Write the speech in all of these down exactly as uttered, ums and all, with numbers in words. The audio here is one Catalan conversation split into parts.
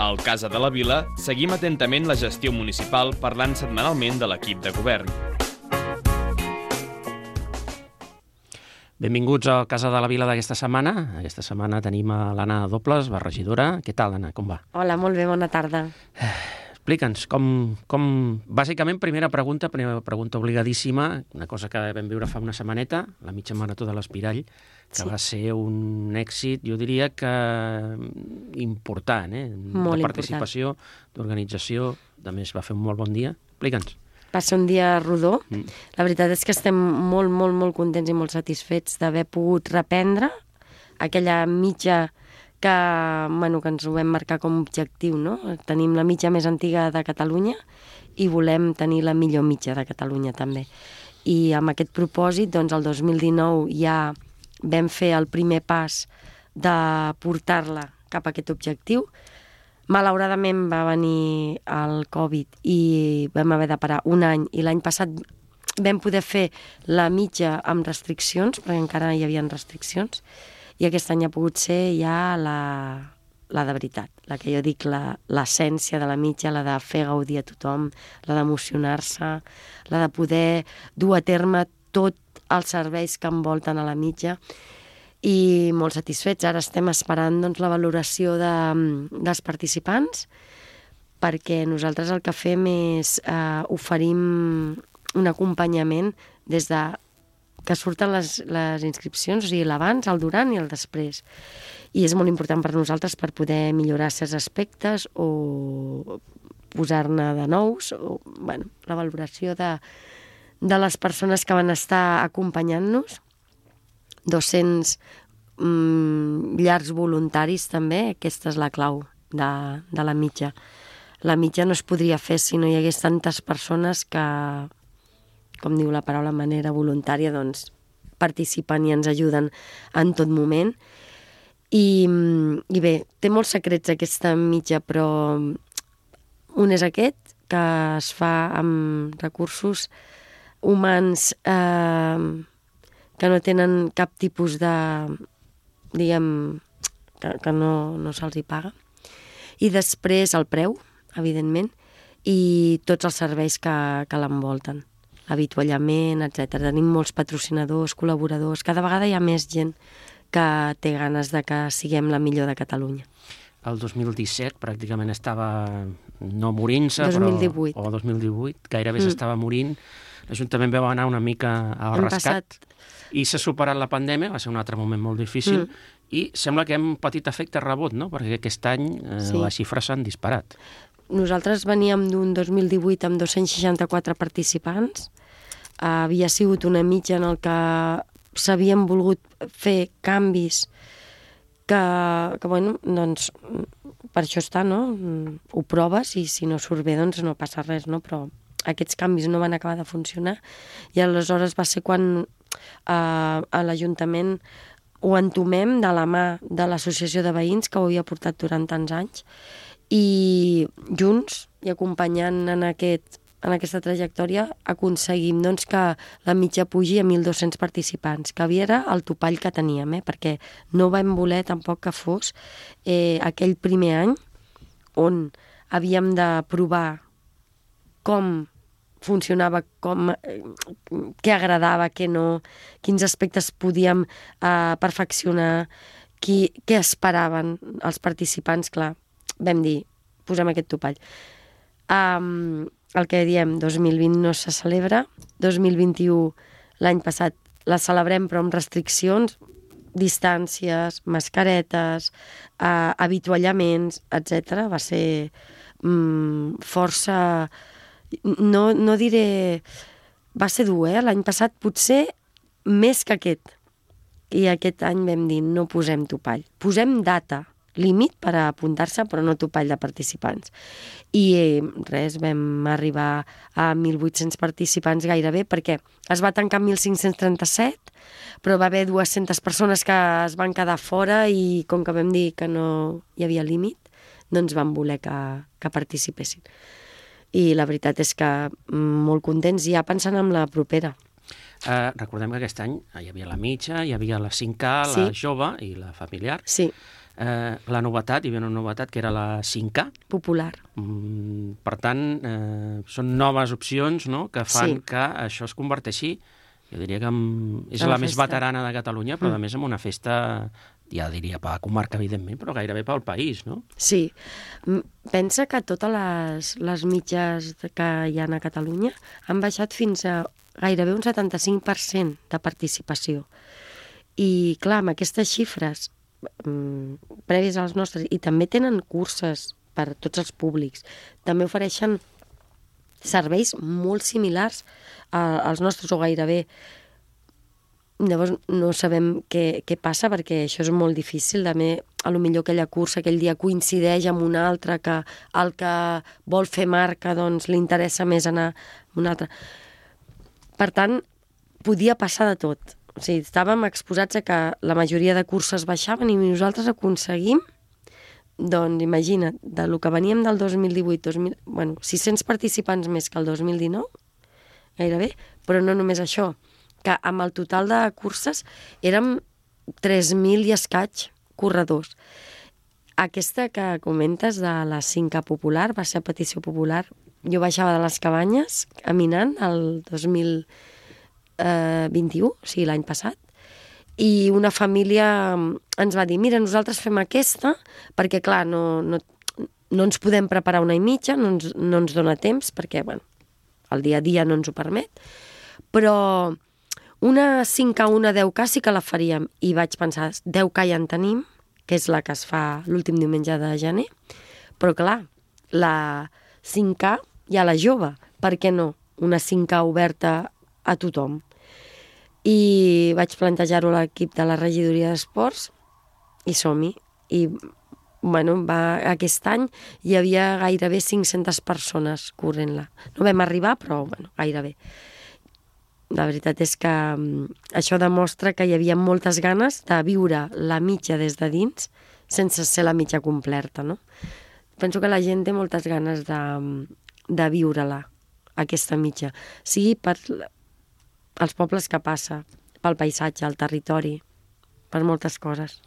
Al Casa de la Vila seguim atentament la gestió municipal parlant setmanalment de l'equip de govern. Benvinguts al Casa de la Vila d'aquesta setmana. Aquesta setmana tenim a l'Anna Dobles, la regidora. Què tal, Anna? Com va? Hola, molt bé, bona tarda. Explica'ns, com, com... Bàsicament, primera pregunta, primera pregunta obligadíssima, una cosa que vam viure fa una setmaneta, la mitja marató de l'Espirall, que sí. Va ser un èxit, jo diria que important, eh? Molt de participació, d'organització, a més va fer un molt bon dia. Explica'ns. Va ser un dia rodó. Mm. La veritat és que estem molt, molt, molt contents i molt satisfets d'haver pogut reprendre aquella mitja que, bueno, que ens ho vam marcar com a objectiu, no? Tenim la mitja més antiga de Catalunya i volem tenir la millor mitja de Catalunya també. I amb aquest propòsit, doncs, el dos mil dinou ja vam fer el primer pas de portar-la cap a aquest objectiu. Malauradament va venir el Covid i vam haver de parar un any i l'any passat vam poder fer la mitja amb restriccions, perquè encara hi havia restriccions, i aquest any ha pogut ser ja la, la de veritat, la que jo dic l'essència de la mitja, la de fer gaudir a tothom, la d'emocionar-se, la de poder dur a terme tots els serveis que envolten a la mitja, i molt satisfets. Ara estem esperant doncs, la valoració de, dels participants, perquè nosaltres el que fem és eh, oferim un acompanyament des de que surten les, les inscripcions, o sigui, l'abans, el durant i el després. I és molt important per nosaltres per poder millorar certs aspectes o posar-ne de nous, o, bueno, la valoració de, de les persones que van estar acompanyant-nos, dos-cents mm, llars voluntaris també, aquesta és la clau de, de la mitja. La mitja no es podria fer si no hi hagués tantes persones que, com diu la paraula, manera voluntària, doncs participen i ens ajuden en tot moment. I, i bé, té molts secrets aquesta mitja, però un és aquest, que es fa amb recursos humans eh, que no tenen cap tipus de, diguem, que, que no, no se'ls hi paga. I després el preu, evidentment, i tots els serveis que, que l'envolten. Avituallament, etcètera. Tenim molts patrocinadors, col·laboradors. Cada vegada hi ha més gent que té ganes de que siguem la millor de Catalunya. El dos mil disset pràcticament estava no morint-se, dos mil divuit. Però, o dos mil divuit, gairebé mm. s'estava morint. L'Ajuntament va anar una mica al Hem rescat passat... i s'ha superat la pandèmia, va ser un altre moment molt difícil, mm. i sembla que hem patit efecte rebot, no? Perquè aquest any eh, sí. les xifres s'han disparat. Nosaltres veníem d'un dos mil divuit amb dos-cents seixanta-quatre participants. Uh, havia sigut una mitja en el que s'havien volgut fer canvis que, que bueno, doncs, per això està, no? Ho proves i si no surt bé, doncs no passa res, no? Però aquests canvis no van acabar de funcionar i aleshores va ser quan uh, a l'Ajuntament ho entomem de la mà de l'Associació de Veïns, que ho havia portat durant tants anys, i junts i acompanyant en, aquest, en aquesta trajectòria aconseguim doncs, que la mitja pugi a mil dos-cents participants, que havia era el topall que teníem, eh? Perquè no vam voler tampoc que fos eh, aquell primer any on havíem de provar com funcionava, com, eh, què agradava, què no, quins aspectes podíem eh, perfeccionar, qui, què esperaven els participants, clar. Vam dir, posem aquest topall. Um, el que diem, dos mil vint no se celebra, dos mil vint-i-u l'any passat la celebrem però amb restriccions, distàncies, mascaretes, uh, avituallaments, etcètera. Va ser um, força... No, no diré... Va ser dur, eh? L'any passat potser més que aquest. I aquest any vam dir, no posem topall. Posem data, límit per a apuntar-se, però no topall de participants. I eh, res, vam arribar a mil vuit-cents participants gairebé, perquè es va tancar mil cinc-cents trenta-set, però va haver dues-centes persones que es van quedar fora i com que vam dir que no hi havia límit, doncs vam voler que, que participessin. I la veritat és que molt contents, ja pensant en la propera. Uh, recordem que aquest any hi havia la mitja, hi havia la cinc K, la sí. jove i la familiar. Sí. Eh, la novetat, hi havia una novetat que era la cinc K. Popular. Mm, per tant, eh, són noves opcions, no?, que fan Sí. que això es converteixi, jo diria que amb, és En la la més festa. veterana de Catalunya, però Mm. a més amb una festa, ja diria per la comarca, evidentment, però gairebé pel país, no? Sí. M- Pensa que totes les, les mitges que hi ha a Catalunya han baixat fins a gairebé un setanta-cinc per cent de participació. I, clar, amb aquestes xifres mm, prèvies als nostres, i també tenen curses per a tots els públics, també ofereixen serveis molt similars a, als nostres o gairebé. Llavors no sabem què, què passa perquè això és molt difícil. També, a lo millor aquella cursa aquell dia coincideix amb una altra que el que vol fer marca doncs li interessa més anar a una altra. Per tant, podia passar de tot. O sigui, estàvem exposats a que la majoria de curses baixaven i nosaltres aconseguim, doncs imagina't, de lo que veníem del dos mil divuit, dos mil, bueno, sis-cents participants més que el dos mil dinou, gairebé, però no només això, que amb el total de curses érem tres mil i escaig corredors. Aquesta que comentes de la cinc K popular va ser a petició popular. Jo baixava de les Cabanyes caminant el dos mil vint-i-u, o sigui, l'any passat, i una família ens va dir, mira, nosaltres fem aquesta, perquè, clar, no, no, no ens podem preparar una i mitja, no ens, no ens dona temps, perquè, bueno, el dia a dia no ens ho permet, però una cinc K, una deu K sí que la faríem, i vaig pensar, deu K ja en tenim, que és la que es fa l'últim diumenge de gener, però, clar, la cinc K ja la jove, per què no? Una cinc K oberta a tothom. I vaig plantejar-ho a l'equip de la regidoria d'esports i som-hi. I, bueno, va, aquest any hi havia gairebé cinc-centes persones corrent-la. No vam arribar, però, bueno, gairebé. La veritat és que um, això demostra que hi havia moltes ganes de viure la mitja des de dins sense ser la mitja completa, no? Penso que la gent té moltes ganes de, de viure-la, aquesta mitja. Sigui per els pobles que passa, pel paisatge, el territori, per moltes coses.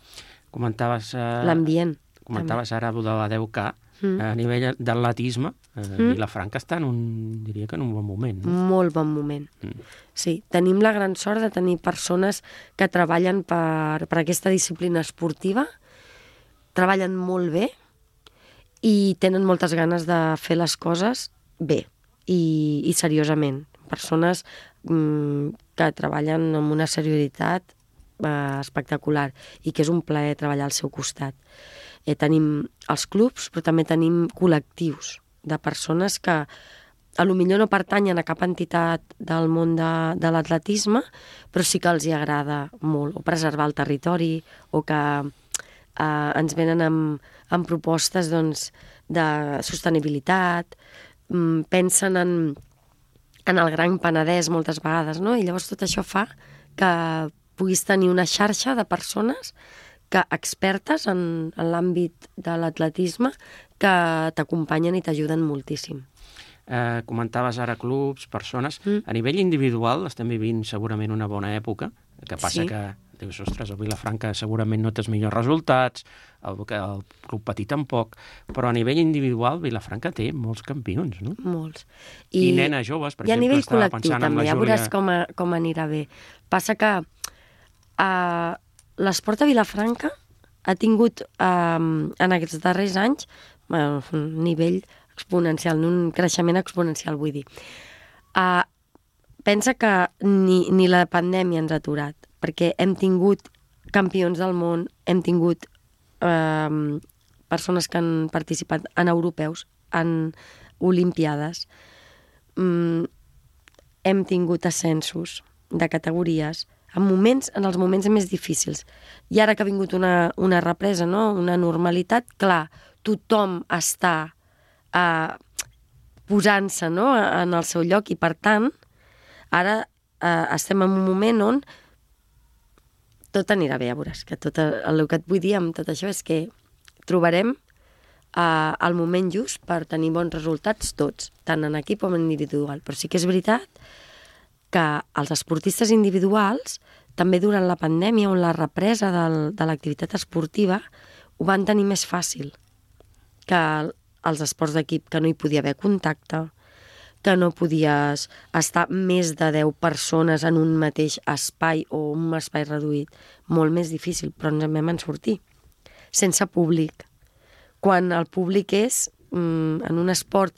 Comentaves... Eh, L'ambient. Comentaves ara de la deu K. Mm. A nivell d'atletisme, eh, mm. Vilafranca està en un, diria que en un bon moment. No? Molt bon moment. Mm. Sí, tenim la gran sort de tenir persones que treballen per, per aquesta disciplina esportiva, treballen molt bé i tenen moltes ganes de fer les coses bé i, i seriosament. Persones mm, que treballen amb una seriositat eh, espectacular i que és un plaer treballar al seu costat. Eh, tenim els clubs, però també tenim col·lectius de persones que a lo millor no pertanyen a cap entitat del món de, de l'atletisme, però sí que els hi agrada molt, o preservar el territori, o que eh, ens venen amb, amb propostes doncs, de sostenibilitat, mm, pensen en, en el Gran Penedès moltes vegades, no? I llavors tot això fa que puguis tenir una xarxa de persones que expertes en, en l'àmbit de l'atletisme que t'acompanyen i t'ajuden moltíssim. Eh, comentaves ara clubs, persones. Mm. A nivell individual estem vivint segurament una bona època, que passa Sí. que dius, ostres, el Vilafranca segurament no té els millors resultats, el, el club petit tampoc, però a nivell individual Vilafranca té molts campions, no? Molts. I, I nenes joves, per I a exemple, nivell estava col·lectiu pensant en també, la ja Júlia... veuràs com, a, com anirà bé. Passa que uh, l'esport a Vilafranca ha tingut uh, en aquests darrers anys uh, un nivell exponencial, un creixement exponencial, vull dir. Uh, pensa que ni, ni la pandèmia ens ha aturat, perquè hem tingut campions del món, hem tingut eh, persones que han participat en europeus, en olimpiades, mm, hem tingut ascensos de categories, en moments, en els moments més difícils. I ara que ha vingut una, una represa, no? Una normalitat, clar, tothom està eh, posant-se, no? En el seu lloc, i per tant, ara eh, estem en un moment on tot anirà bé, ja veuràs, que tot el que et vull dir amb tot això és que trobarem eh, el moment just per tenir bons resultats tots, tant en equip com en individual. Però sí que és veritat que els esportistes individuals, també durant la pandèmia, on la represa del, de l'activitat esportiva, ho van tenir més fàcil que els esports d'equip, que no hi podia haver contacte, que no podies estar més de deu persones en un mateix espai o un espai reduït. Molt més difícil, però ens en vam en sortir. Sense públic. Quan el públic és, mm, en un esport,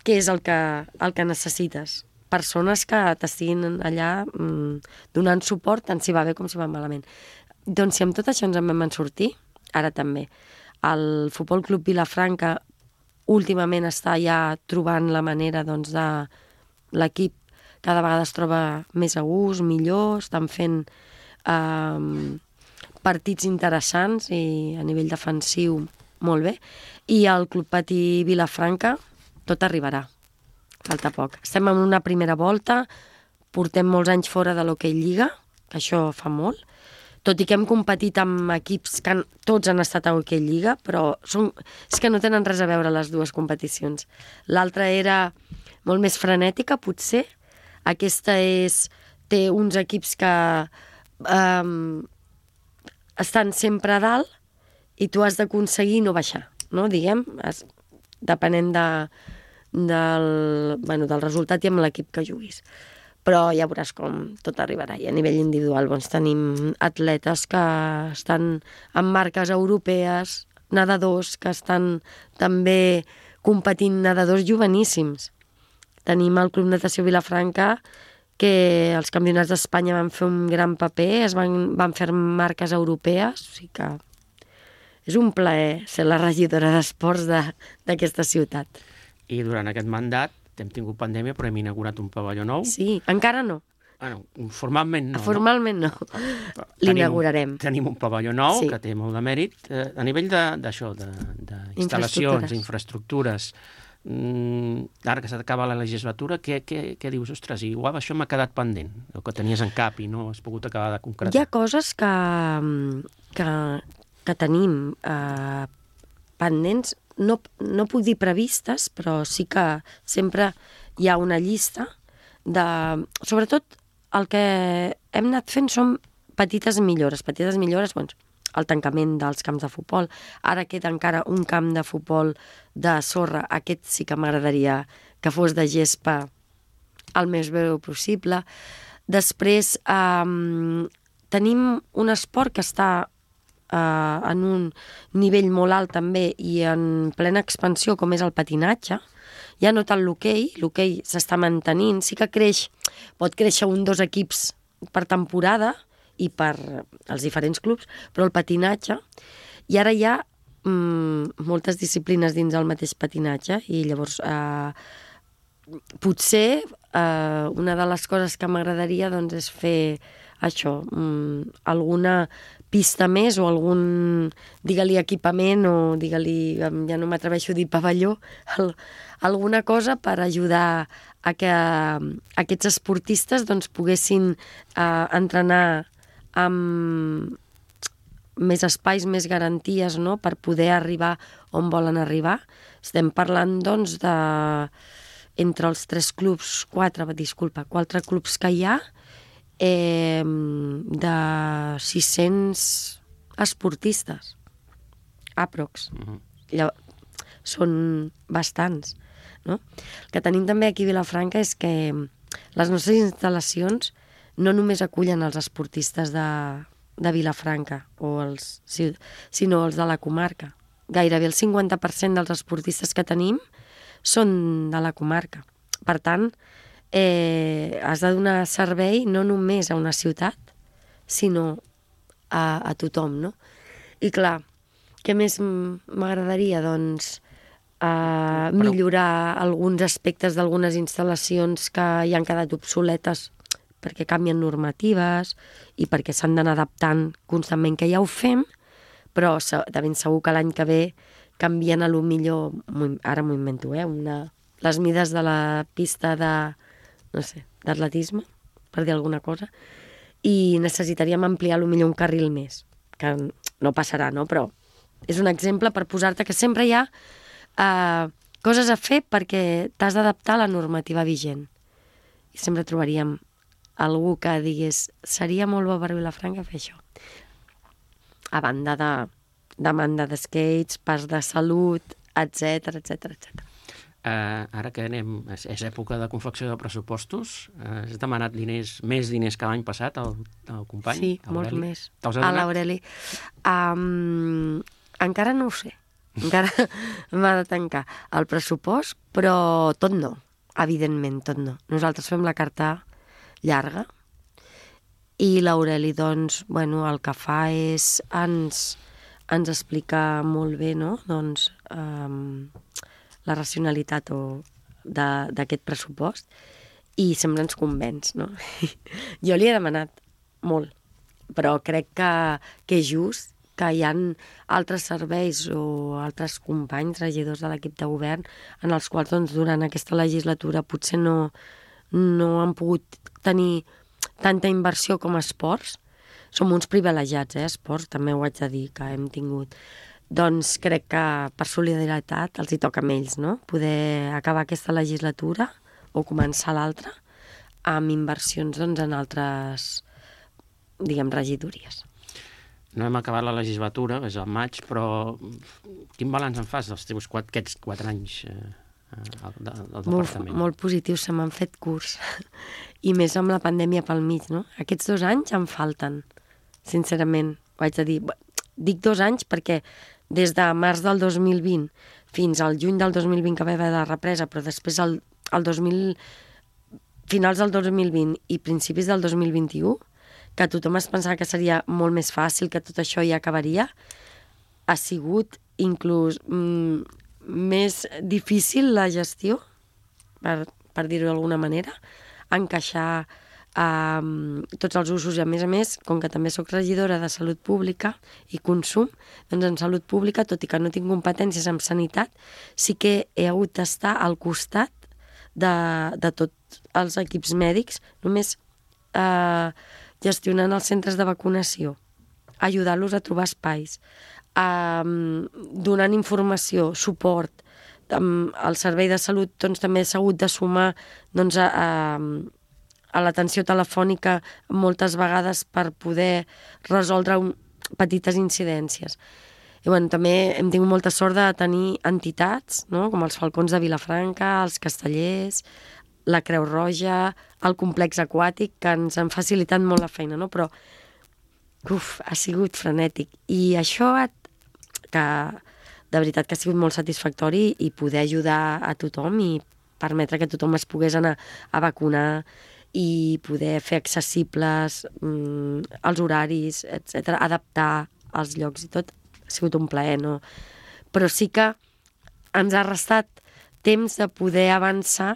què és el que, el que necessites? Persones que t'estiguin allà mm, donant suport, tant si va bé com si va malament. Doncs si amb tot això ens en vam en sortir, ara també. El Futbol Club Vilafranca últimament està ja trobant la manera, doncs, de l'equip cada vegada es troba més a gust, millor, estan fent eh, partits interessants i a nivell defensiu molt bé. I el Club Patí Vilafranca tot arribarà, falta poc. Estem en una primera volta, portem molts anys fora de l'Hockey Lliga, que això fa molt, tot i que hem competit amb equips que han, tots han estat a Hockey Lliga, però són, és que no tenen res a veure les dues competicions. L'altra era molt més frenètica, potser. Aquesta és, té uns equips que um, estan sempre a dalt i tu has d'aconseguir no baixar, no? Diguem, es, depenent de, del, bueno, del resultat i amb l'equip que juguis. Però ja veuràs com tot arribarà. I a nivell individual doncs, tenim atletes que estan en marques europees, nedadors que estan també competint, nedadors joveníssims. Tenim el Club Natació Vilafranca, que els campionats d'Espanya van fer un gran paper, es van, van fer marques europees, o sigui que és un plaer ser la regidora d'esports d'aquesta ciutat. I durant aquest mandat hem tingut pandèmia, però hem inaugurat un pavelló nou. Sí, encara no. Bueno, formalment no. Formalment no. no. L'inaugurarem. Tenim, tenim un pavelló nou, sí, que té molt de mèrit. Eh, a nivell d'això, d'instal·lacions, infraestructures, mm, ara que s'acaba la legislatura, què, què, què dius? Ostres, igual això m'ha quedat pendent, el que tenies en cap i no has pogut acabar de concretar. Hi ha coses que, que, que tenim eh, pendents, no, no puc dir previstes, però sí que sempre hi ha una llista de... Sobretot el que hem anat fent són petites millores. Petites millores, doncs, el tancament dels camps de futbol. Ara queda encara un camp de futbol de sorra. Aquest sí que m'agradaria que fos de gespa el més breu possible. Després eh, tenim un esport que està Uh, en un nivell molt alt també i en plena expansió, com és el patinatge. Ja no tant l'hoquei, l'hoquei s'està mantenint, sí que creix, pot créixer un dos equips per temporada i per els diferents clubs, però el patinatge, i ara hi ha mm, moltes disciplines dins del mateix patinatge, i llavors uh, potser uh, una de les coses que m'agradaria doncs, és fer això, mm, alguna pista més o algun, digue-li equipament o digue-li, ja no m'atreveixo a dir pavelló, el, alguna cosa per ajudar a que aquests esportistes doncs, poguessin eh, entrenar amb més espais, més garanties, no?, per poder arribar on volen arribar. Estem parlant, doncs, de entre els tres clubs, quatre, disculpa, quatre clubs que hi ha, Eh, de sis-cents esportistes aprox. Uh-huh. Llavors, són bastants, no? El que tenim també aquí a Vilafranca és que les nostres instal·lacions no només acullen els esportistes de, de Vilafranca o els, sinó els de la comarca. Gairebé el cinquanta per cent dels esportistes que tenim són de la comarca. Per tant, Eh, has de donar servei no només a una ciutat, sinó a, a tothom, no? I clar, què més m'agradaria? Doncs eh, millorar alguns aspectes d'algunes instal·lacions que ja han quedat obsoletes perquè canvien normatives i perquè s'han d'anar adaptant constantment, que ja ho fem, però de ben segur que l'any que ve canvien a lo millor, ara m'ho invento, eh, una, les mides de la pista de no sé, d'atletisme, per dir alguna cosa, i necessitaríem ampliar potser un carril més, que no passarà, no? Però és un exemple per posar-te que sempre hi ha eh, coses a fer perquè t'has d'adaptar a la normativa vigent. I sempre trobaríem algú que digués seria molt bo per Vilafranca fer això. A banda de demanda de skates, parcs de salut, etcètera, etcètera, etcètera. Uh, ara que anem, és, és època de confecció de pressupostos, uh, has demanat diners, més diners que l'any passat al, al company? Sí, molts més. A l'Aureli. Um, encara no ho sé. Encara m'ha de tancar el pressupost, però tot no, evidentment, tot no. Nosaltres fem la carta llarga i l'Aureli, doncs, bueno, el que fa és ens, ens explica molt bé, no?, doncs, um, la racionalitat d'aquest pressupost i sempre ens convenç, no? Jo li he demanat molt, però crec que, que és just que hi ha altres serveis o altres companys, regidors de l'equip de govern, en els quals doncs, durant aquesta legislatura potser no, no han pogut tenir tanta inversió com a esports. Som uns privilegiats, eh, esports, també ho haig de dir, que hem tingut. Doncs crec que per solidaritat els hi toca a ells, no?, poder acabar aquesta legislatura o començar l'altra amb inversions doncs, en altres, diguem, regidories. No hem acabat la legislatura, és al maig, però quin balanç en fas dels teus quatre, aquests quatre anys eh, del, del departament? Molt, molt positiu, se m'han fet curs. I més amb la pandèmia pel mig, no? Aquests dos anys em falten, sincerament, ho haig de dir. Dic dos anys perquè des de març del dos mil vint fins al juny del dos mil vint que va haver la represa, però després el, el dos mil, finals del dos mil vint i principis del dos mil vint-i-u, que tothom es pensava que seria molt més fàcil, que tot això ja acabaria, ha sigut inclús mm, més difícil la gestió, per, per dir-ho d'alguna manera, encaixar Um, tots els usos i a més a més, com que també sóc regidora de Salut Pública i Consum, doncs en Salut Pública, tot i que no tinc competències en sanitat, sí que he hagut d'estar al costat de, de tots els equips mèdics, només uh, gestionant els centres de vacunació, ajudar-los a trobar espais, um, donant informació, suport. Um, el servei de salut doncs, també s'ha hagut de sumar doncs, a, a a l'atenció telefònica moltes vegades per poder resoldre un, petites incidències. I bueno, també hem tingut molta sort de tenir entitats, no?, com els Falcons de Vilafranca, els Castellers, la Creu Roja, el complex aquàtic, que ens han facilitat molt la feina, no? Però uf, ha sigut frenètic. I això, que de veritat que ha sigut molt satisfactori i poder ajudar a tothom i permetre que tothom es pogués anar a vacunar i poder fer accessibles mm, els horaris, etcètera, adaptar els llocs i tot, ha sigut un plaer, no? Però sí que ens ha restat temps de poder avançar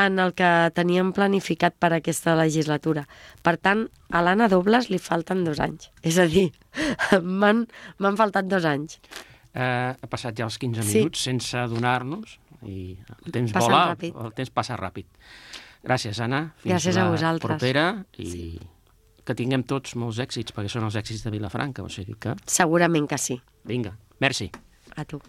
en el que teníem planificat per aquesta legislatura. Per tant, a l'Anna Dobles li falten dos anys. És a dir, m'han m'han faltat dos anys. Eh, ha passat ja els quinze Sí. minuts sense adonar-nos i el temps Passen vola, ràpid. el temps passa ràpid. Gràcies, Anna. Fins Gràcies a la vosaltres. propera i que tinguem tots molts èxits, perquè són els èxits de Vilafranca, o sigui que... Segurament que sí. Vinga, merci. A tu.